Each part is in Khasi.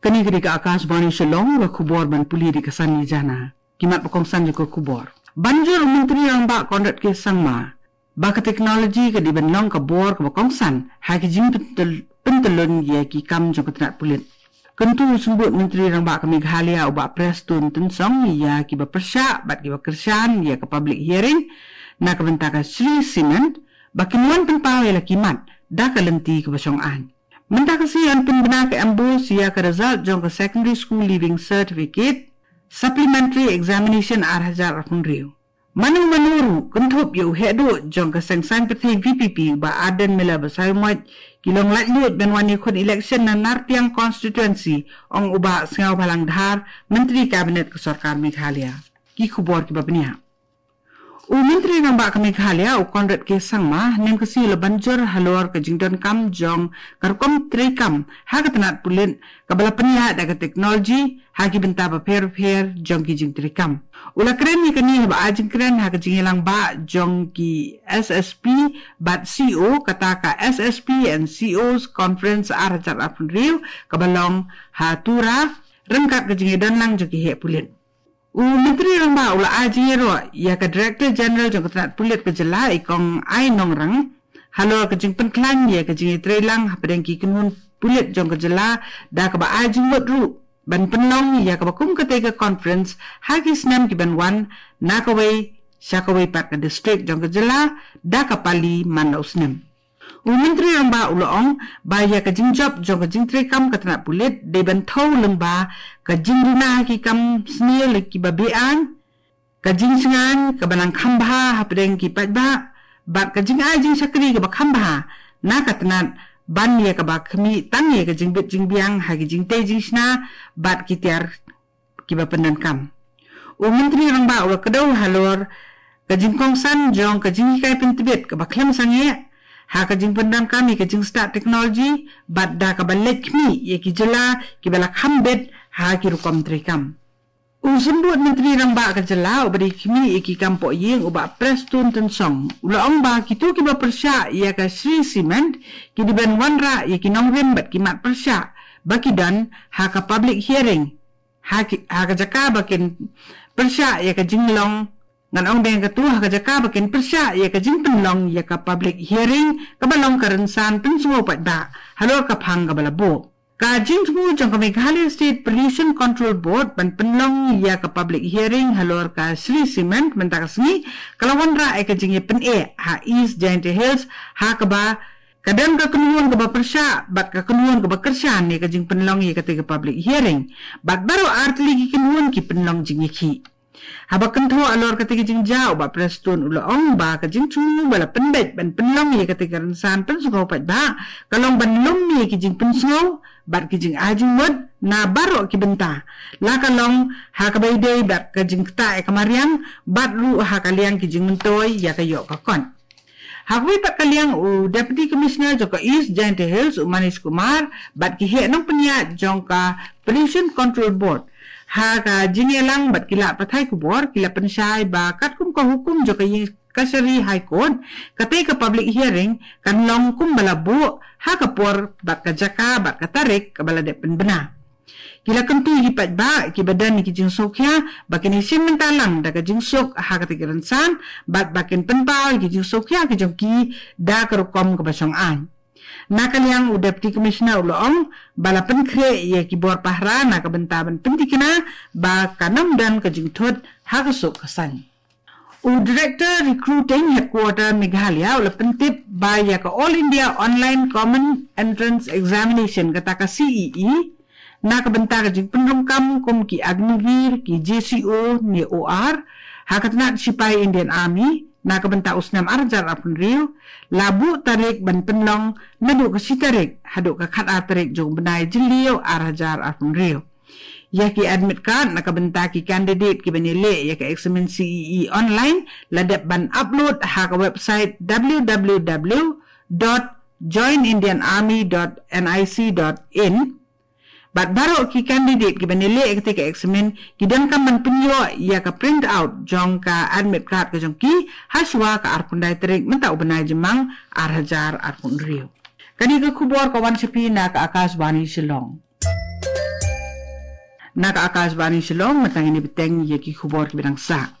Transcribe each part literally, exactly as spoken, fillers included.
Kane ka dei ka Akashvani Shillong, ka khubor ban pule da ka Sanjana. Ki mat ba kongsan jong ka khubor. Ban jur u Myntri Rangbah Conrad K Sangma ba ka technology ka dei ban long ka bor kaba kongsan ha ki jingpyntyllun ïa ki kam jong ka tnat pulit. Kyntu u Symbud Myntri Rangbah ka Meghalaya u Bah Prestone Tynsong ïa kiba pyrshah bad kiba kyrshan ïa ka public hearing na ka bynta ka Shree Cement ba kin wan pynpaw ïa la ki mat da ka lynti kaba shong aiñ. Mynta ka sngi yn pynbna ka MBOSE ïa ka result jong ka Secondary School Leaving Certificate Supplementary Examination ar hajar arphew hynriew. Mano mano ruh kynthup ïa u heh duh jong ka seng saiñ pyrthei VPP Bah Ardent Miller Basaiawmoit ki long laitluid ban wan ïakhun election na Nartiang Constituency, ong u Bah Sniawbhalang Dhar, Myntri Cabinet ka Sorkar Meghalaya. Ki khubor kiba bniah. U Myntri Rangbah ka Meghalaya u Conrad K Sangma hynne ka sngi u la ban jur halor ka jingdonkam jong ka rukom treikam ha ka tnat pulit kaba la pynïaid da ka technology ha ki bynta bapher bapher jong ki jingtreikam. U la kren ïa kane haba ai jingkren ha ka jingïalang bah jong ki SSP bad CO, kata ka SSP and COs Conference ar hajar arphew hynriew kaba long ha Tura, ryngkat ka jingïadonlang jong ki heh pulit. U Myntri Rangbah u la ai jingïaroh ïa ka Director General jong ka tnat pulit ka jylla i Kong I Nongrang halor ka jingpynkhlaiñ ïa ka jingïatreilang hapdeng ki kynhun pulit jong ka jylla da kaba ai jingmut ruh ban pynlong ïa kaba kum katei ka conference ha ki snem ki ban wan na kawei sha kawei pat ka district jong ka jylla da ka pali man la u snem. U Myntri Rangbah u la ong ba ïa ka jingjop jong ka jingtreikam ka tnat pulit dei ban thew lyngba ka jingduna ha ki kam sniew la kiba beaiñ, ka jingsngewbha kaba nang kham bha hapdeng ki paidbah bad ka jingai jingshakri kaba kham bha na ka tnat ban ïa kaba khmih tang ïa ka jingbit jingbiang ha ki jingtei jingshna bad ki tiar kiba pyndonkam. U Myntri Rangbah u la kdew halor ka jingkongsan jong ka jinghikai pyntbit kaba khlem sangeh ha ka jingpyndonkam ïa ka jingstad technology bad da kaba leit khmih ïa ki jylla kiba la kham bit ha ki rukom treikam. U Symbud Myntri Rangbah ka jylla uba dei khmih ïa ki kam pohïing u Bah Prestone Tynsong u la ong ba kito kiba pyrshah ïa ka Shree Cement ki dei ban wanrah ïa ki nongrim bad ki mat pyrshah ba ki don ha ka public hearing ha, ki, ha ka jaka ba kin pyrshah ïa ka jinglong ngan ong deng katu ha ka jaka ba kin pyrshah ïa ka jingpynlong ïa ka public hearing kaba long ka rynsan pynsngew paidbah halor ka phang kaba la buh. Ka jingthmu jong ka Meghalaya State Pollution Control Board ban pynlong ïa ka public hearing halor ka Shree Cement mynta ka sngi ka la wanrah ïa ka jingïapyneh ha East Jaintia Hills ha kaba ka don ka kynhun kaba pyrshah bad ka kynhun kaba kyrshan ïa ka jingpynlong ïa katei ka public hearing bad baroh artylli ki kynhun ki pynlong jingïakhih. Haba kynthoh halor katei ka jingjia u Bah Prestone u la ong ba ka jingthmu ba la pynbeit ban pynlong ïa katei ka rynsan pynsngew paidbah ka long ban lum ïa ki jingpynsngew bad ki jingai jingmut na baroh ki bynta, la ka long ha kaba ïadei bad ka jingktah ïa ka mariang bad ruh ha ka liang ki jingmyntoi ïa ka ïoh ka kot. Ha kawei pat ka liang u Deputy Commissioner jong ka East Jaintia Hills u Manish Kumar bad ki heh nongpynïaid jong ka Pollution Control Board ha ka jingïalang bad ki lad pathai khubor ki la pynshai ba katkum ka hukum jong ka ïing kashari High Court, katei ka public hearing kan long kumba la buh ha ka por bad ka jaka bad ka tarik kaba la dep pynbna. Ki la kyntu ïa ki paidbah kiba don ïa ki jingsngewkhia ba kin ïashim bynta lang da ka jingsuk ha katei ka rynsan bad ba kin pynpaw ïa ki jingsngewkhia ki jong ki da ka rukom kaba shong aiñ. Na ka liang u Deputy Commissioner u la ong ba la pynkhreh ïa ki bor pahara na ka bynta ban pynthikna ba kan ym don ka jingthut ha ka suk ka saiñ. U Director Recruiting Headquarter Meghalaya u la pyntip ba ïa ka All India Online Common Entrance Examination, kata ka C E E, na ka bynta ka jingpynrung kam kum ki Agniveer, ki J C O ne O R ha ka tnat shipai Indian Army na ka bynta u snem ar hajar arphew hynriew la buh tarik ban pynlong naduh ka shi tarik haduh ka khatar tarik jong u bnai Jylliew ar hajar arphew hynriew. Ïa ki admit card na ka bynta ki candidate kiban ïaleh ïa ka eksamin C E E online la dep ban upload ha ka website w w w dot join indian army dot n i c dot in. Bad baroh ki candidate kiban ïaleh ïa katei ka eksamin ki donkam ban pynïoh ïa ka print out jong ka admit card ka jong ki hashwa ka arphew khyndai tarik mynta u bnai Jymmang ar hajar arphew hynriew. Kane ka khubor ka wan sha phi na ka Akashvani Shillong. Na ka Akashvani Shillong, mynta ngin ïa bteng ïa ki khubor kiba dang sah.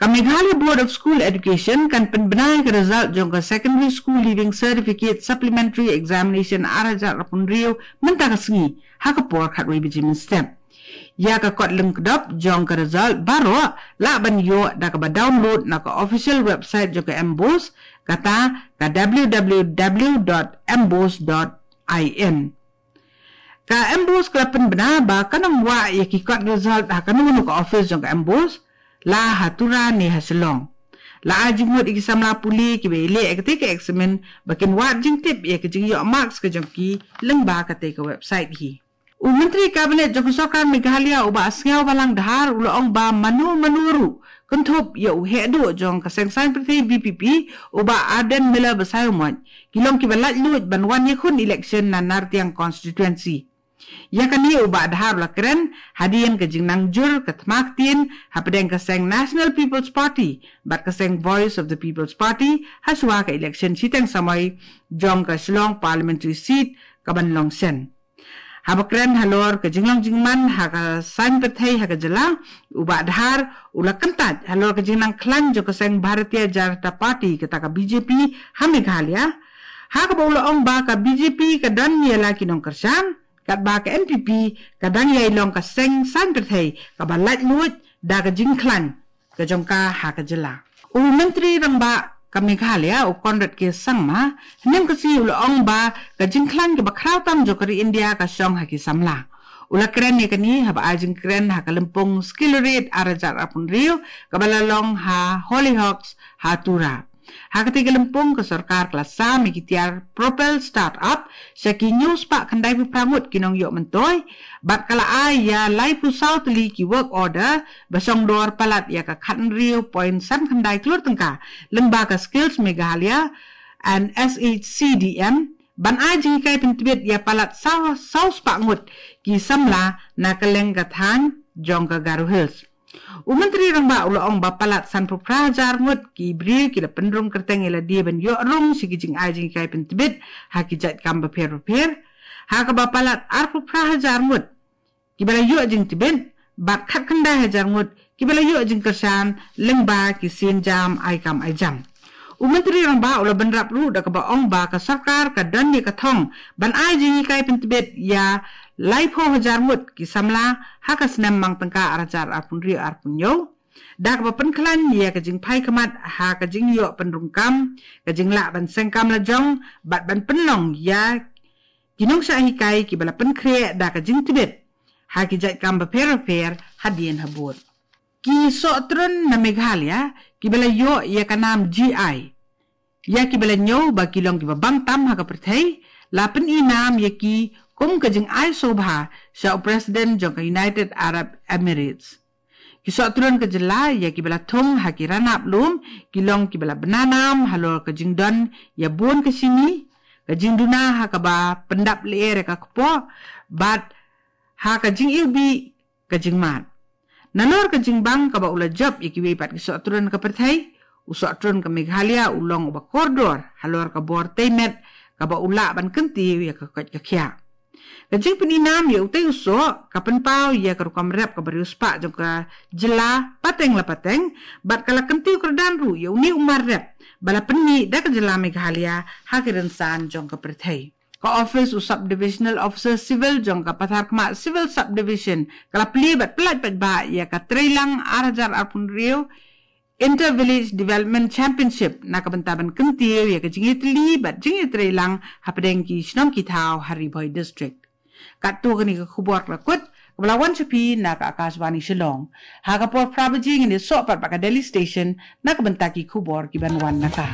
Ka Meghalaya Board of School Education kan pynbna ïa ka result jong ka Secondary School Leaving Certificate Supplementary Examination ar hajar arphew hynriew mynta ka sngi ha ka por khatwei baje mynstep. Ïa ka kot lyngkdop jong ka result baroh lah ban ïoh da kaba download na ka official website jong ka MBOSE, kata ka w w w dot mbose dot i n. Ka MBOSE ka la pynbna ba kan ym wad ïa ki kot result ha kano kano ka office jong ka MBOSE, la ha Tura ne ha Shillong. La ai jingmut ïa ki samla pule kiba ïaleh ïa katei ka eksamin ba kin wad jingtip ïa ka jingïoh marks ka jong ki lyngba katei ka website hi. U Myntri Kabinet jong ka Sorkar Meghalaya u Bah Sniawbhalang Dhar u la ong ba mano mano ruh kynthup ïa u heh duh jong ka seng saiñ pyrthei VPP, u Bah Ardent Miller Basaiawmoit, ki long kiba laitluid ban wan ïakhun election na Nartiang constituency. Ïa kane u Bah Dhar u la kren hadien ka jingnang jur ka thma ktien hapdeng ka seng National People's Party bad ka seng Voice of the People's Party hashwa ka election shiteng samoi jong ka Shillong Parliamentary Seat kaban long shen. Haba kren halor ka jinglong jingman ha ka saiñ pyrthei ha ka jylla, u Bah Dhar u la kyntait halor ka jingnang khlaiñ jong ka seng Bharatiya Janata Party, kata ka BJP ha Meghalaya, ha kaba u la ong ba ka BJP ka don ïa la ki nongkyrshan, katba ka NPP ka dang ïai long ka seng saiñ pyrthei kaba laitluid da ka jingkhlaiñ ka jong ka ha ka jylla. U Myntri Rangbah ka Meghalaya u Conrad K Sangma hynne ka sngi u la ong ba ka jingkhlaiñ kaba khraw tam jong ka ri India ka shong ha ki samla. U la kren ïa kane haba ai jingkren ha ka lympung Skill Raid ar hajar arphew hynriew kaba la long ha Hollyhocks ha Tura. Ha katei ka lympung ka sorkar ka la sam ïa ki tiar Propel Startup sha ki hynñiew spah khyndaiphew phra ngut ki nongïoh myntoi, bad ka la ai ïa laiphew saw tylli ki work order ba shong dor palat ïa ka khathynriew point san khyndai klur tyngka lyngba ka Skills Meghalaya and SHCDM ban ai jinghikai pyntbit ïa palat saw, saw spah ngut ki samla na kylleng ka thaiñ jong ka Garo Hills. U Myntri Rangbah u la ong ba palat sanphew phra hajar ngut ki briew ki la pynrung kyrteng ïa lade ban ïoh rung sha ki jingai jinghikai pyntbit ha ki jait kam bapher bapher, ha kaba palat arphew phra hajar ngut kiba la ïoh jingtbit bad khatkhyndai hajar ngut kiba la ïoh jingkyrshan lyngba ki sienjam ai kam ai jam. U Myntri Rangbah u la bynrap ruh da kaba ong ba ka sorkar ka don ïa ka thong ban ai jinghikai pyntbit ïa laiphew hajar ngut ki samla ha ka snem mang tyngka ar hajar arphew hynriew arphew hynñiew, da kaba pynkhlaiñ ïa ka jingphai khmat ha ka jingïoh pynrung kam, ka jinglah ban seng kam lajong bad ban pynlong ïa ki nongshah hikai kiba la pynkhreh da ka jingtbit ha ki jait kam bapher bapher hadien habud. Ki sohtrun na Meghalaya kiba la ïoh ïa ka nam GI, ïa kiba la ñiew ba ki long kiba bang tam ha ka pyrthei, la pyni nam ïa ki kum ka jingai sngewbha sha u President jong ka United Arab Emirates. Ki sohtrun ka jylla ïa kiba la thung ha ki ranap lum ki long kiba la bna nam halor ka jingdon ïa bun ka shimi, ka jingduna ha kaba pyndap lyer ïa ka kpoh, bad ha ka jingiwbih ka jingmad. Nalor ka jingbang kaba u la jop ïa kiwei pat ki sohtrun ka pyrthei, u sohtrun ka Meghalaya u long uba kordor halor ka bor tei met kaba u lah ban kyntiew ïa ka koit ka khiah. Ka jingpyni nam ïa utei u soh ka pynpaw ïa ka rukom rep kaba riewspah jong ka jylla pateng la pateng, bad ka la kyntiew kyrdan ruh ïa une u mar rep ba la pynmih da ka jylla Meghalaya ha ki rynsan jong ka pyrthei. Ka ophis u Sub-Divisional Officer Civil jong ka Patharkhmah Civil Subdivision ka la plie bad pyllait paidbah ïa ka Treilang ar hajar arphew hynriew Inter Village Development Championship na ka bynta ban kyntiew ïa ka jingïatylli bad jingïatreilang hapdeng ki shnong ki thaw ha Ri Bhoi District. Katto kane ka khubor ka la kut, kaba la wan sha phi na ka Akashvani Shillong. Ha ka por phra baje ngin ïasoh pat bad ka Delhi Station na ka bynta ki khubor kiban wan na ka.